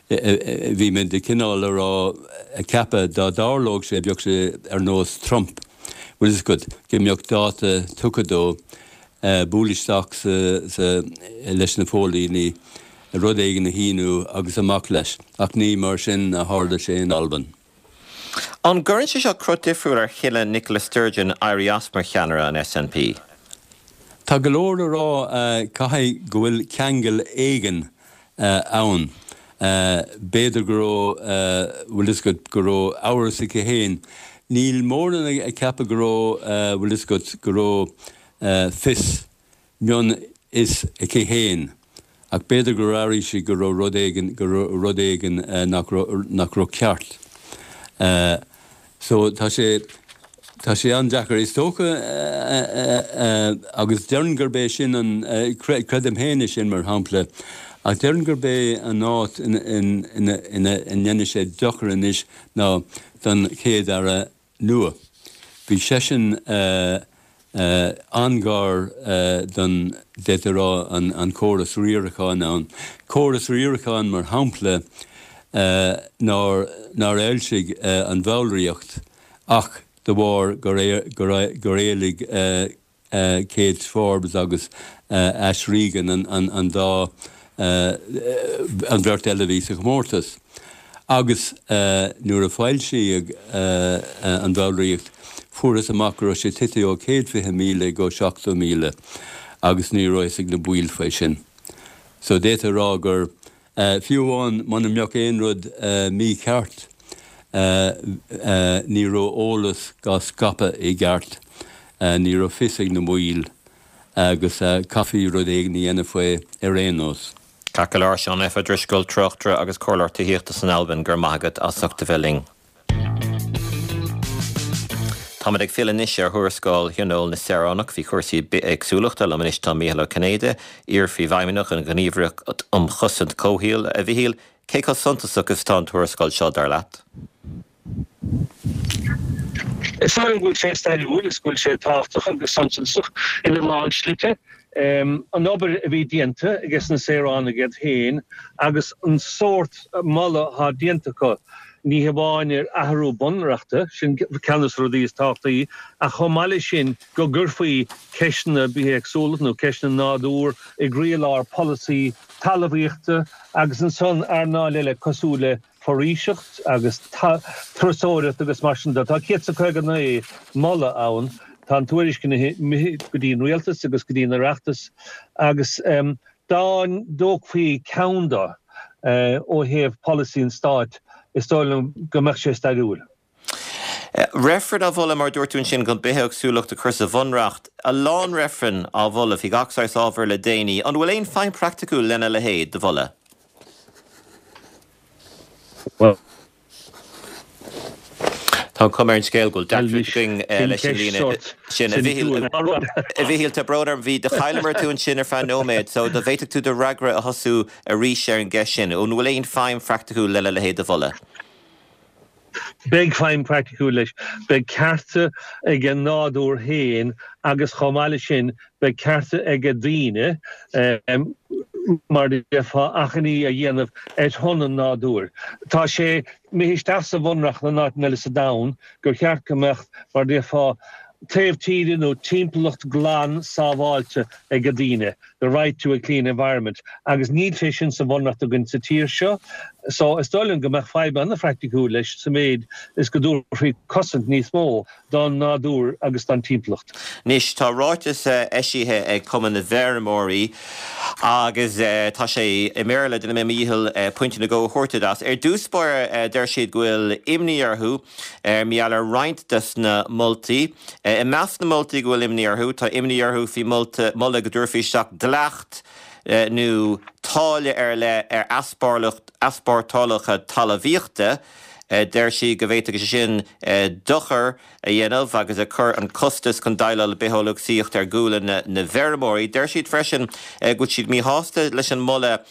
Bhí muid de chineál a rá, ag ceapadh dá dtarlódh sé bheadh sé ar nós Trump, bhfuil fhios agat, go mbeadh dáta tugtha dó bualadh isteach sa leis na póilíní, rud éigin a shíniú agus amach leis. Ach ní mar sin a tharla sé in Albain. An gcuireann sé seo cruth difriúil ar chinneadh Nicola Sturgeon éirí as mar cheannaire an SNP? Tá go leor a rá caithfidh go bhfuil ceangal éigin ann. B'fhéidir go raibh, bhfuil fhios agat, go raibh amhras aici féin. Níl mórán ag ceapadh go raibh, bhfuil fhios agat, go raibh fios mionfhios aici féin, ach b'fhéidir gur airigh sí go raibh rud éigin, go raibh rud éigin nach raibh, nach raibh ceart. So, tá sé, tá sé an-deacair. Is dócha, agus déarfainn gurb é sin an, creidim féin é sin mar shampla, ach déarfainn gurb é an áit ina, ina, ina ndéanfaidh sé dochar anois ná don Chéad-Aire nua. Bhí seisean an-ghar don, d'fhéadfá a rá, an córas riaracháin ann. Córas riaracháin, mar shampla, nár fhoilsigh an bhallraíocht ach de bharr gur éiligh Kate Forbes agus Ash Regan an dá an bheirt eile a bhí sa chomórtas. Agus nuair a foilsíodh an bhallraíocht fuarthas amach go raibh sé tite ó 120,000 go 70,000 agus ní raibh fhios ag na baill faoi sin. So d'fhéadfá a rá gur Fiú amháin muna mbeadh aon rud mícheart, ní raibh eolas á scaipeadh i gceart, ní raibh fios ag na baill agus chaithfí rud éigin a dhéanamh faoi ar aon nós. Ceart go leor, Seán F. Ó Drisceoil, tráchtaire agus comhairleoir tithíochta san Albain, go raibh maith agat as ucht a bheith linn. Táimid ag filleadh anois ar thuarascáil Thionól na Saoránach faoi chúrsaí bithéagsúlachta. Liom anois tá Mícheál Ó Cinnéide, iar-phríomhfheidhmeannach an Ghníomhaireacht um Chosaint Comhshaoil. A Mhichíl, cé chomh suntasach is atá an tuarascáil seo, dar leat? Is dóigh liom go bhfuil sé stairiúil is go bhfuil sé tábhachtach agus suntasach ina lán slite. An obair a bhí déanta ages na saoránaigh iad féin agus an sórt moladh atá déanta acu, ní hamháin ar athrú bunreachta, sin ceann de na rudaí is tábhachtaí, ach chomh maith leis sin go gcuirfí ceisteanna bithéagsúlachta nó ceisteanna nádúir i gcroílár polasaí talmhaíochta agus ansan earnáil eile cosúil le foraoiseacht agus turasóireacht agus mar sin de. Tá 159 moladh ann. Tá an tuairisc imithe go dtí an rialtas agus go dtí an Oireachtas agus dá dtógfaí ceann de ó thaobh polasaí an stáit, is dóigh liom go mbeadh sé stairiúil. Reifreann á mholadh, mar a dúirt tú ansin, chun bithéagsúlacht a chur sa bhunreacht. A lán reifreann á mholadh faoi gach saghas ábhair le déanaí. An bhfuil aon feidhm praiticiúil lena leithéid de mholadh? Tá an chuma ar an scéal go bhfuil deacracht againn leis an líne sin. A Mhichíl, tá brón orm, bhí, do chailleamar tú ansin ar feadh nóiméad, so dá bhféadfadh tú do fhreagra a thosú arís ar an gceist sin. An bhfuil aon feidhm phraiticiúil lena leithéid de mholadh? Beidh feidhm praiticiúil leis. Beidh cearta ag an nádúr féin agus chomh maith leis sin beidh cearta ag daoine, mar a déarfá, achainí a dhéanamh ar shon an nádúir. Tá sé imithe isteach sa bhunreacht in áiteanna eile sa domhan gur cheart go mbeadh, mar a déarfá, taobh tíre nó timpeallacht glan sábháilte ag daoine. the right to a clean environment, agus níl sé sin sa bhunreacht againn sa tír seo. So is dóigh liom go mbeadh feidhm an-phraiticiúil leis sa méid is go dtabharfaí cosaint níos mó don nádúr agus don timpeallacht. Anois, tá ráiteas eisithe ag Cumann na bhFeirmeoirí agus tá sé i mBéarla, déanfaidh mé mo dhícheall pointe nó dhó a thabhairt duit as. Ar dtús báire, deir siad go bhfuil imní orthu mar gheall ar roinnt des na moltaí. I measc na moltaí go bhfuil imní orthu, tá imní orthu faoi moladh go dtabharfaí isteach dleacht nó táille ar leith ar easpórtálacha talmhaíochta. Deir siad go bhféadfadh sé sin dochar a dhéanamh agus ag cur an costas chun déileáil le bithéagsúlacht ar ghualainn na bhfeirmeoirí. Deir siad freisin go bhfuil siad míshásta leis an moladh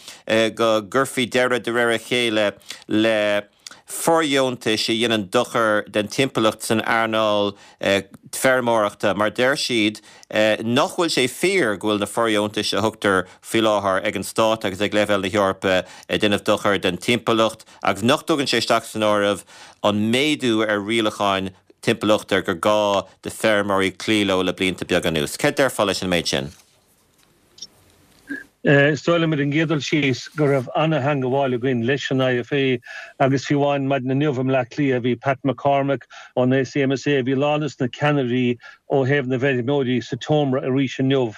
go gcuirfí deireadh de réir a chéile le fóirdheontais a dhéanann dochar den timpeallacht san earnáil feirmeoireachta mar deir siad nach bhfuil sé fíor go bhfuil na fóirdheontais a thugtar faoi láthair ag an stát agus ag leibhéal na hEorpa ag déanamh dochar den timpeallacht agus nach dtugann sé isteach san áireamh an méadú ar rialacháin timpeallachta gur gá do feirmeoirí cloí leo le blianta beaga anuas. Céard déarfá leis an méid sin? Is dóigh liom ar an gcéad dul síos go raibh an-theangabháil againn leis an IFA agus fiú amháin maidin inniu i mBleá Cliath bhí Pat McCormack ón ACMSA, bhí a lán des na ceannairí ó thaobh na bhfeirmeoirí sa tseomra arís inniu.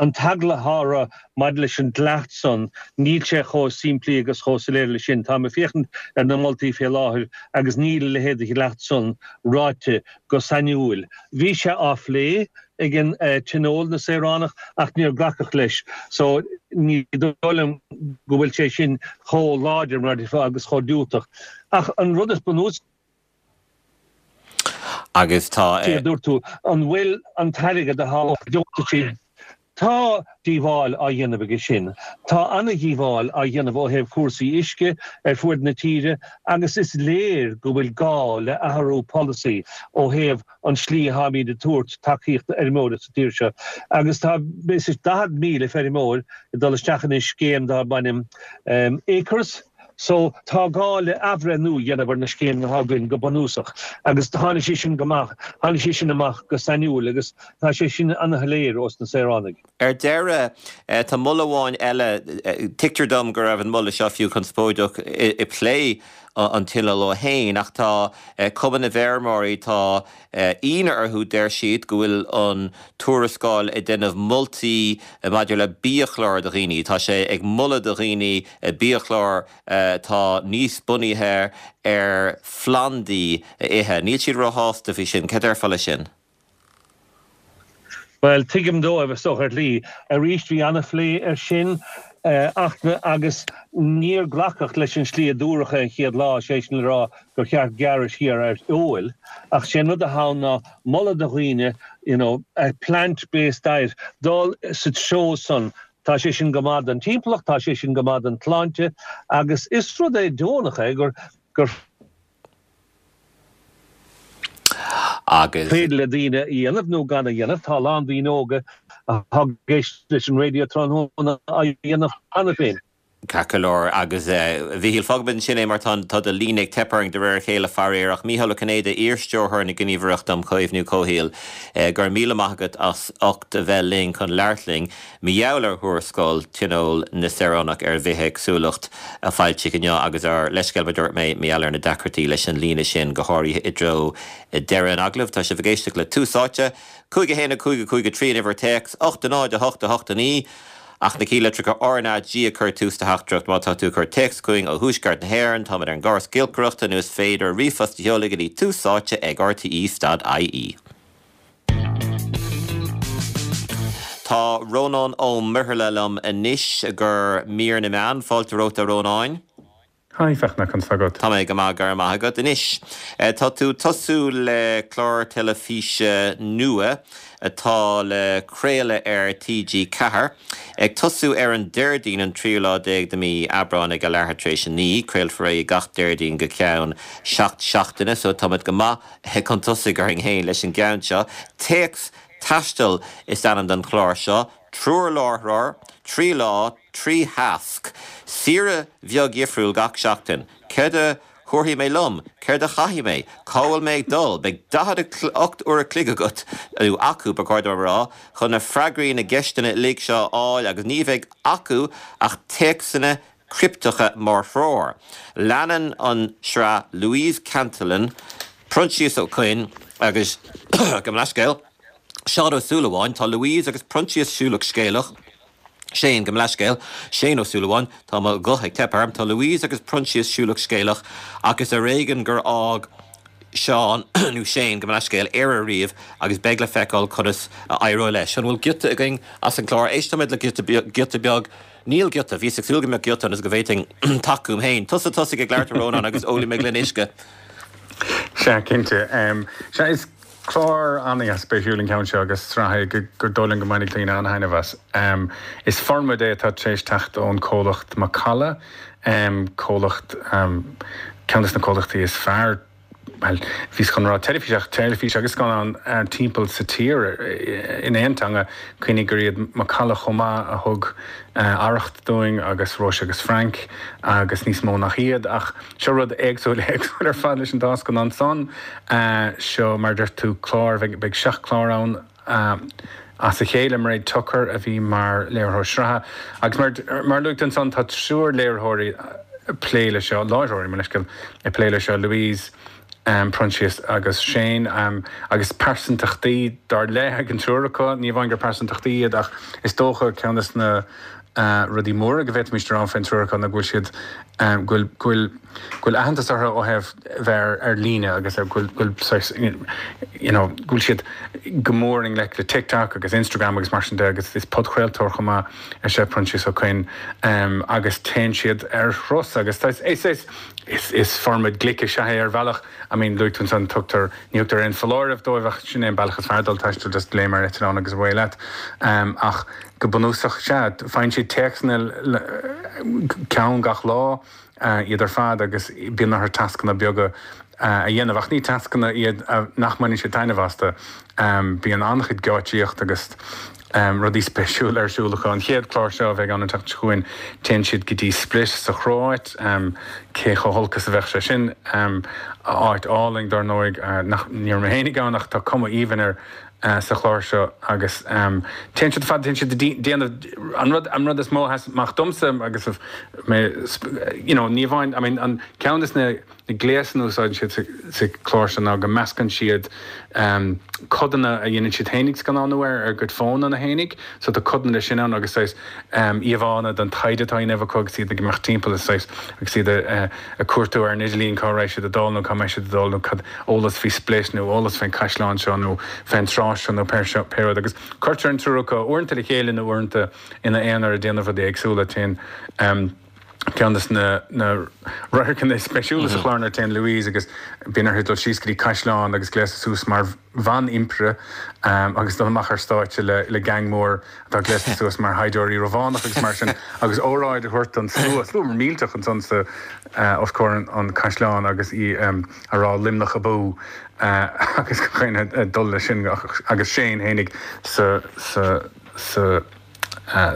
An t-eagla atá orthu maidir leis an dleacht san, níl sé chomh simplí agus chomh soiléir leis sin. Táim ag féachaint ar na moltaí fé láthair agus níl a leithéid de dhleacht san ráite go sainiúil. Bhí sé á phlé ag an Tionól na Saoránach ach níor glacadh leis so ní dóigh liom go bhfuil sé sin chomh láidir mar agus chomh diúltach. Ach an rud is bunúsaí Agus tá. a dúirt tú, an bhfuil an t-airgead atá á deontaisí Tá díobháil á dhéanamh aige sin. Tá an-dhíobháil á dhéanamh ó thaobh cúrsaí uisce ar fuaid na tíre agus is léir go bhfuil gá le athrú polasaí ó thaobh an tslí atáimid ag tabhairt tacaíocht d'fheirmeoirí sa tír seo. Agus tá 40,000 feirmeoir ag dul isteach in scéim darb ainm Acres. So, tá gá le athbhreithniú a dhéanamh ar na scéimeanna atá againn go bunúsach agus tháinig sé sin go maith, tháinig sé sin amach go sainiúil agus tá sé sin an-shoiléir ós na saoránaigh. Ar deireadh, tá moladh amháin eile, tuigtear dom go raibh an moladh seo fiú conspóideach i plé an Tionóil ó shin, ach tá Cumann na bhFeirmeoirí, tá ionadh orthu, deir siad, go bhfuil an tuarascáil ag déanamh moltaí maidir le biachlár do dhaoine. Tá sé ag moladh do dhaoine biachlár atá níos bunaithe ar phlandaí a ithe. Níl siad róshásta faoi sin. Cad déarfá leis sin? Bhuel, tuigim dóibh, is dócha, ar shlí. Arís, bhí an-phlé air sin ach agus níor glacadh leis an slí a dúradh é an chéad lá, sé sin le rá gur cheart gearradh siar ar fheoil. Ach sé an rud atá ann ná moladh do dhaoine, you know, a plant-based diet, dul sa treo san. Tá sé sin go maith don timpeallacht, tá sé sin go maith don tsláinte agus is rud é deonach é gur gur. Agus. féidir le daoine a dhéanamh nó gan a dhéanamh. Tá a lán daoine óga atá ag éisteacht leis an raidió tráthnóna á dhéanamh cheana féin. Ceart go leor. Agus, a Mhíchíl, fágfaimid ansin é mar tá tá do líne ag teip orainn de réir a chéile, faraor. Ach Mícheál Ó Cinnéide, iar-stiúrthóir na Gníomhaireachta um Chaomhnú Comhshaoil, go raibh míle maith agat as ucht a bheith linn chun labhairt linn. Mar gheall ar thuarascáil Tionól na Saoránach ar Bhithéagsúlacht a foilsíodh inniu agus ár leithscéal, mar a dúirt mé, mar gheall ar na deacrachtaí leis an líne sin, go háirithe i dtreo deireadh an agallaimh. Tá sibh ag éisteacht le Tús Áite, 5 1 5 5 3 an uimhir téacs, 8 0 8 8 9, ach na cinnlitreacha RnaG ag cur tús do theachtaireacht má tá tú ag cur téacs chugainn ó thuaisceart na hÉireann, táimid ar an gcóras giolcaireachta nó is féidir ríomhphost a sheoladh go dtí túsáite ag rte.ie. Tá Rónán Ó Muirthile liom anois do mhír na meán. Fáilte romhat a Rónáin. Hi Fachtna, conas tá agat? Tá mé go maith, go raibh maith agat. Anois, tá tú ag tosú le clár teilifíse nua atá le craoladh ar TG4, ag tosú ar an Déardaoin an tríú lá déag de mí Aibreáin ag a leathuair tar éis a 9. Craolfar é gach Déardaoin go ceann 7 seachtaine, so táimid go maith chun tosaigh orainn féin leis an gceann seo. Téacs Taistil is ainm don chlár seo. Triúr láithreoir, 3 lá, 3 thasc. Saoire bheag dhifriúil gach seachtain. Céard a thabharfaidh mé liom? Céard a chaithfidh mé? Cá bhfuil mé ag dul? Beidh 48 uair a chloig agat, nó acu, ba chóir dom a rá, chun na freagraí na gceisteanna uilig seo a fháil agus ní bheidh acu ach téacsanna cripteacha mar threoir. Leanann an tsraith Louise Cantillon, Proinsias Ó Coinn agus, gabh mo leithscéal, Seán Ó Súilleabháin. Tá Louise agus Proinsias siúlach scéalach. Shane, gabh mo leithscéal, Shane Ó Súilleabháin, tá mo ghuth ag teip orm, tá Louise agus Proinsias siúlach scéalach ach is ar éigean gur fhág Seán, nó Shane, gabh mo leithscéal, Éire riamh agus beidh le feiceáil conas a éireoidh leis. An bhfuil giota againn as an gclár? Éistfimid le giota beag. Níl giota. Bhíos ag súil go mbeadh giota ionas go bhféadfainn tacú dom féin. Tusa tosaigh ag labhairt a Rónáin agus ólfaidh mé gloine uisce. Sea, cinnte. Sea, is. Clár an-spéisiúil an ceann seo agus sraith é gur dóigh liom go mbainfidh daoine an-thaitneamh as. Is formáid é atá tar éis teacht ón comhlacht Macalla, comhlacht, ceann de na comhlachtaí is fearr, bhuel, bhíos chun rá teilifís ach teilifís agus scannán timpeall sa tír in aon teanga. Cuimhnigh gur iad Macalla chomh maith a thug Arracht dúinn agus Róise agus Frank agus níos mó nach iad ach, Seo rud éagsúil, éagsúil ar fad leis an dá scannán san. Seo, mar a deir tú, clár, beidh seacht clár ann as a chéile. Mairéad Tucker a bhí mar léiritheoir sraithe agus mar, mar a luaigh tú ansan, tá triúr léiritheoirí ag plé le seo, láithreoirí, mo leithscéal, ag plé le seo, Louise, Proinsias agus Shane, agus pearsantachtaí dar leith ag an triúr acu. Ní amháin gur pearsantachtaí iad ach is dócha ceann de na rudaí móra go bhféadfaimis a rá faoin triúr acu ná go bhfuil siad, go bhfuil, go bhfuil, go bhfuil aitheantas orthu ó thaobh bheith ar, ar líne agus go bhfuil, go bhfuil saghas, you know, go bhfuil siad go mór i ngleic le TikTok agus Instagram agus mar sin de agus is podchraoltóir chomh maith is ea Proinsias Ó Coinn agus téann siad ar thuras agus tá, is, is, is, is formaid glic is ea é ar bhealach. I mean, luaigh tú ansan, tugtar, ní thugtar aon foláireamh dóibh ach sin é an bealach is fearr dul taisteal, just léim ar eitleán agus away leat. Ach go bunúsach, sea, faigheann siad téacsanna ceann gach lá, iad ar fad, agus bíonn orthu tascanna beaga a dhéanamh. Ach ní tascanna iad nach mbaineann siad taitneamh astu. Bíonn an-chuid geáitsíocht agus rudaí spéisiúla ar siúl acu. An chéad chlár seo a bheidh ann an tseachtain seo chugainn, téann siad go dtí Split sa Chróit. Cé chomh holc is a bheadh sé sin? Áit álainn, dar ndóigh, nach, ní raibh mé féinig ann ach tá cuma aoibhinn air sa chlár seo agus téann siad fad, téann siad ag déanamh an rud, an rud is mó a sheas amach domsa agus mé, you know, ní amháin, I mean, an ceann de na gléasanna a úsáideann siad sa chlár seo ná go meascann siad codanna a dhéanann siad fhéinig scannánú ar ar a gcuid fónanna fhéinig, so tá codanna de sin ann agus saghas íomhánna den taighde atá á dhéanamh acu agus iad ag imeacht timpeall is saghas agus iad ag cuartú ar an idirlíon cá raibh siad ag dul nó cá mbeidh siad ag dul nó cad eolas faoi Split nó eolas fén caisleán seo nó fén trá seo nó pé seo pé rud agus cuirtear an triúr acu uaireanta le chéile nó uaireanta ina aonar ag déanamh rudaí éagsúla. Téann ceann de na na radharcanna is spéisiúla sa chlár nuair a téann Louise agus bíonn uirthi dul síos go dtí caisleán agus gléasadh suas mar bhan-impire agus dul amach ar stáitse le le geaing mór atá gléasta suas mar shaighdiúirí Rómhánach agus mar sin agus óráid a thabhairt don slua, slua millteach ansan sa os comhair an chaisleáin agus í a rá Luimneach abú agus gach éinne ag dul leis sin agus Shane fhéinig sa sa sa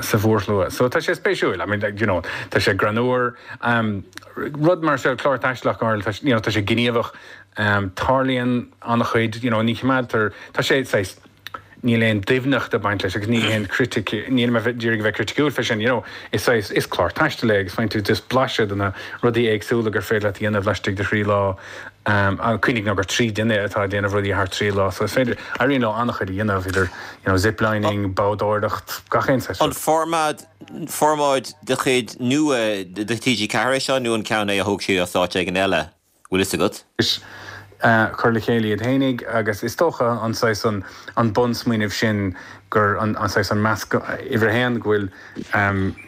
sa mhórshlua. So tá sé spéisiúil, I mean, you know, tá sé greannmhar. Rud mar seo, clár taistealach go háirithe, tá, you know, tá sé gníomhach, tarlaíonn an-chuid, you know, ní choimeádtar, tá sé saghas, níl aon doimhneacht ag baint leis agus ní haon chritic, nílim ag iarraidh a bheith criticiúil fé sin, you know, is saghas, is clár taistil é agus faigheann tú just blaiseadh de na rudaí éagsúla gur féidir leat a dhéanamh laistigh de thrí lá. Cuimhnigh ná gur trí duine atá ag déanamh rudaí thar trí lá so is féidir, éiríonn leo an-chuid a dhéanamh idir, you know, ziplining, boghdóireacht, gach aon saghas An rud. formáid, formáid de chuid nua de TG4 é seo nó an ceann é a thóg siad as áit éigin eile? Bhfuil fhios agat? Is. A chur le chéile iad fhéinig agus is dócha an saghas an an bunsmaoineamh sin gur an an saghas an measc uimhir a haon go bhfuil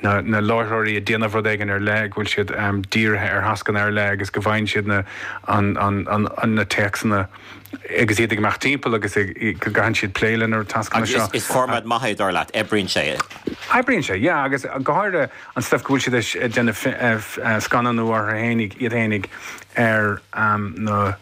na na láithreoirí ag déanamh rud éigin ar leith go bhfuil siad dírithe ar thascanna ar leith agus go bhfaigheann siad na an an an na téacsanna agus iad ag imeacht timpeall agus go gcaitheann siad plé le na tascanna seo. Agus is formáid maith é dar leat, oibríonn sé. Oibríonn sé, yeah, agus go háirithe an stuif go bhfuil siad ag déanamh scannánú orthu fhéinig, iad fhéinig ar na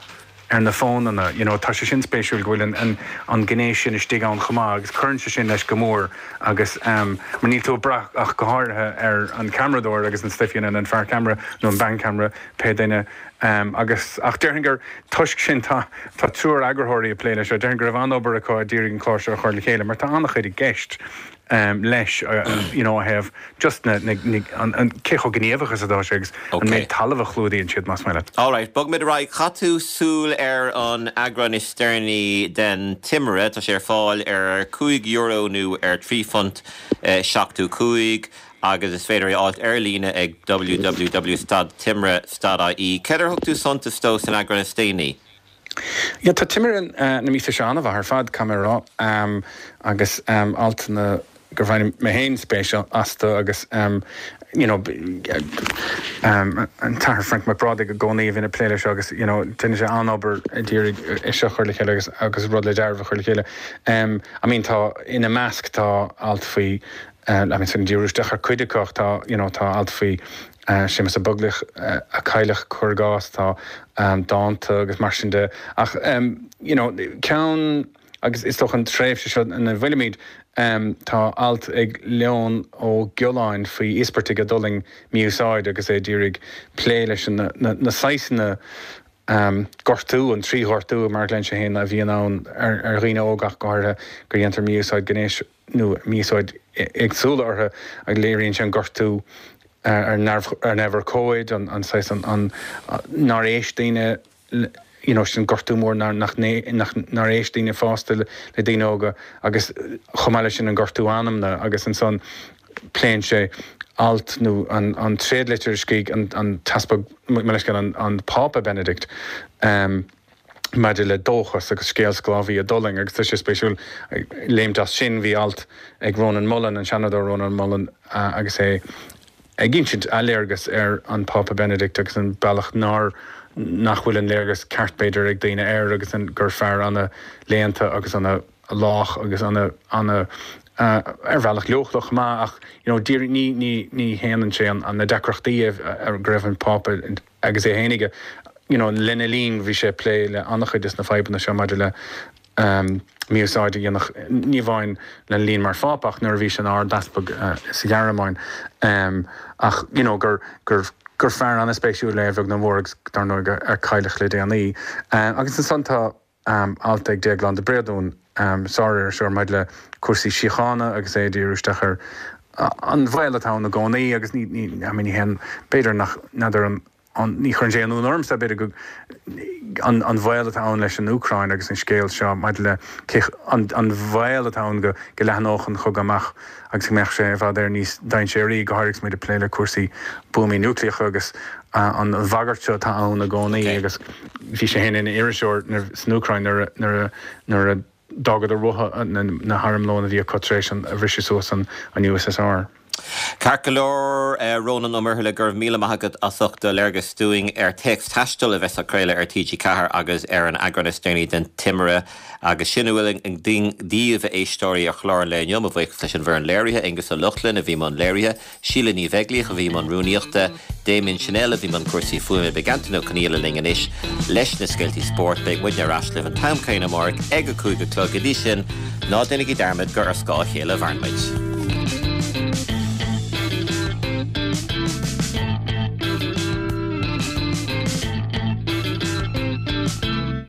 ar na fónanna, you know, tá sé sin spéisiúil go bhfuil an an an gné sin istigh ann chomh maith agus cuireann sé sin leis go mór agus mar níl tú ag brath ach go háirithe ar an ceamaradóir agus an stuif you know, an fear ceamara nó an bean ceamara, pé duine. Agus, ach déarfainn gur toisc sin tá, tá triúr eagarthóirí ag plé leis seo, déarfainn go raibh an-obair acu a d'iarraidh an clár seo a chur le chéile mar tá an-chuid i gceist leis you know ó thaobh just na, na, na, an, an, cé chomh gníomhach is atá sé agus an méid talaimh a chlúdaíonn siad más maith leat. Alright, bogfaimid ar aghaidh. Chaith tú súil ar an eagrán is deireanaí den Timire. Tá sé ar fáil ar €5 nó ar £3 75. agus is féidir é a fháilt ar líne ag www stad timire stad ie. Céard ar thug tú suntas dó san eagrán is déanaí? Yeah, tá Timire na míosa seo an-mhaith ar fad, caithfidh mé a rá, agus altanna gur bhain mé féin spéis astu agus you know an tAthair Frank Mac Brádaigh i gcónaí a bhíonn ag plé leis seo agus you know déanann sé an-obair ag iarraidh é seo a chur le chéile agus agus rud le dealramh a chur le chéile. I mean tá ina measc tá alt faoi I mean sin díriú isteach ar cuid acu ach tá you know tá alt faoi Séamus Ó Beaglaoich a cailleadh cuir i gcás, tá dánta agus mar sin de ach you know ceann agus is dócha an tréimhse seo ina bhfuilimid tá alt ag Leon Ó Giolláin faoi íospartaigh a d'fhulaing mí-úsáid agus é d'iarraidh plé leis na na saghsanna gortú, an trí ghortú mar a ghlaonn sé féin a bhíonn ann ar ar dhaoine óga ach go háirithe go dhéantar mí-úsáid gnéis nó mí-úsáid éagsúla orthu agus léiríonn sé an gortú ar neamhurchóid, an saghas an nár éist daoine you know sin gortú mór nár nach nár éist daoine fásta le daoine óga agus chomh maith leis sin an gortú anamna agus ansan pléann sé alt nó an tréadlitir a scrígh an tEaspag, mo leithscéal, an Pápa Benedict. Maidir le dóchas agus scéal sclábhaí a d'fhulaing agus tá sé spéisiúil léimt as sin, bhí alt ag Rónán Mullen, an Seanadóir Rónán Mullen agus é ag insint a léargas ar an Phápa Benedict agus an bealach nár, nach bhfuil an léargas ceart b'fhéidir ag daoine air agus an, gur fear ana léannta agus ana lách agus ana, ana ar bhealach leochaileach chomh maith ach you know díreach ní, ní, ní shéanann sé an, na deacrachtaí a, go raibh an Pápa Agus é fhéinig, you know, lena linn bhí sé ag plé le an-chuid des na fadhbanna seo maidir le mí-úsáid a dhéanamh, ní amháin lena linn mar Phápa ach nuair a bhí sé ina Ard-Easpag sa Ghearmáin. Ach, you know, gur, gur, gur fear an-spéisiúil é a bheag nó a mhór agus dar ndóigh ar cailleadh le déanaí. Agus ansan tá. alt ag Déaglán de Bréadún, sár-iriseoir, maidir le cúrsaí síochána agus é ag díriú isteach ar an bhaol atá ann i gcónaí agus ní, ní, I mean, ní haon, b'fhéidir nach, n'fheadar an, an, ní chuireann sé aon ionadh ormsa, b'fhéidir go, an, an bhaol atá ann leis an Úcráin agus an scéal seo maidir le cé, an, an bhaol atá ann go, go leathnódh an cogadh amach agus go mbeadh sé i bhfad Éireann níos dainséaraí, go háirithe agus muid ag plé le cúrsaí buamaí núicléacha agus an bhagairt seo atá ann i gcónaí agus bhí sé féin ina iriseoir san Úcráin nuair a d'fhágadar uathu na harmlóin a bhí acu tar éis an bhriseadh suas an USSR. Ceart go leor, Rónán Ó Muirthile, go raibh míle maith agat as ucht do léargas dúinn ar Téacs Taistil a bheas á craoladh ar TG4 agus ar an eagrán is deireanaí den Timire. Agus sin a bhfuil againn daoibh, a éisteoirí, ar chlár an lae inniu. Mo bhuíochas leis an bhfoireann léirithe, Aengus Ó Lochlainn a bhí i mbun léirithe, Síle Ní Bheaglaoich a bhí i mbun rúnaíochta, Damien Channel a bhí i mbun cúrsaí fuaime. Beidh Antain Ó Conghaile linn anois leis na scéaltaí spóirt. Beidh muidne ar ais libh an t-am céanna amárach ag a 5 a chlog. Go dtí sin, ná déanaigí dearmad gur ar scáth a chéile a mhaireann muid.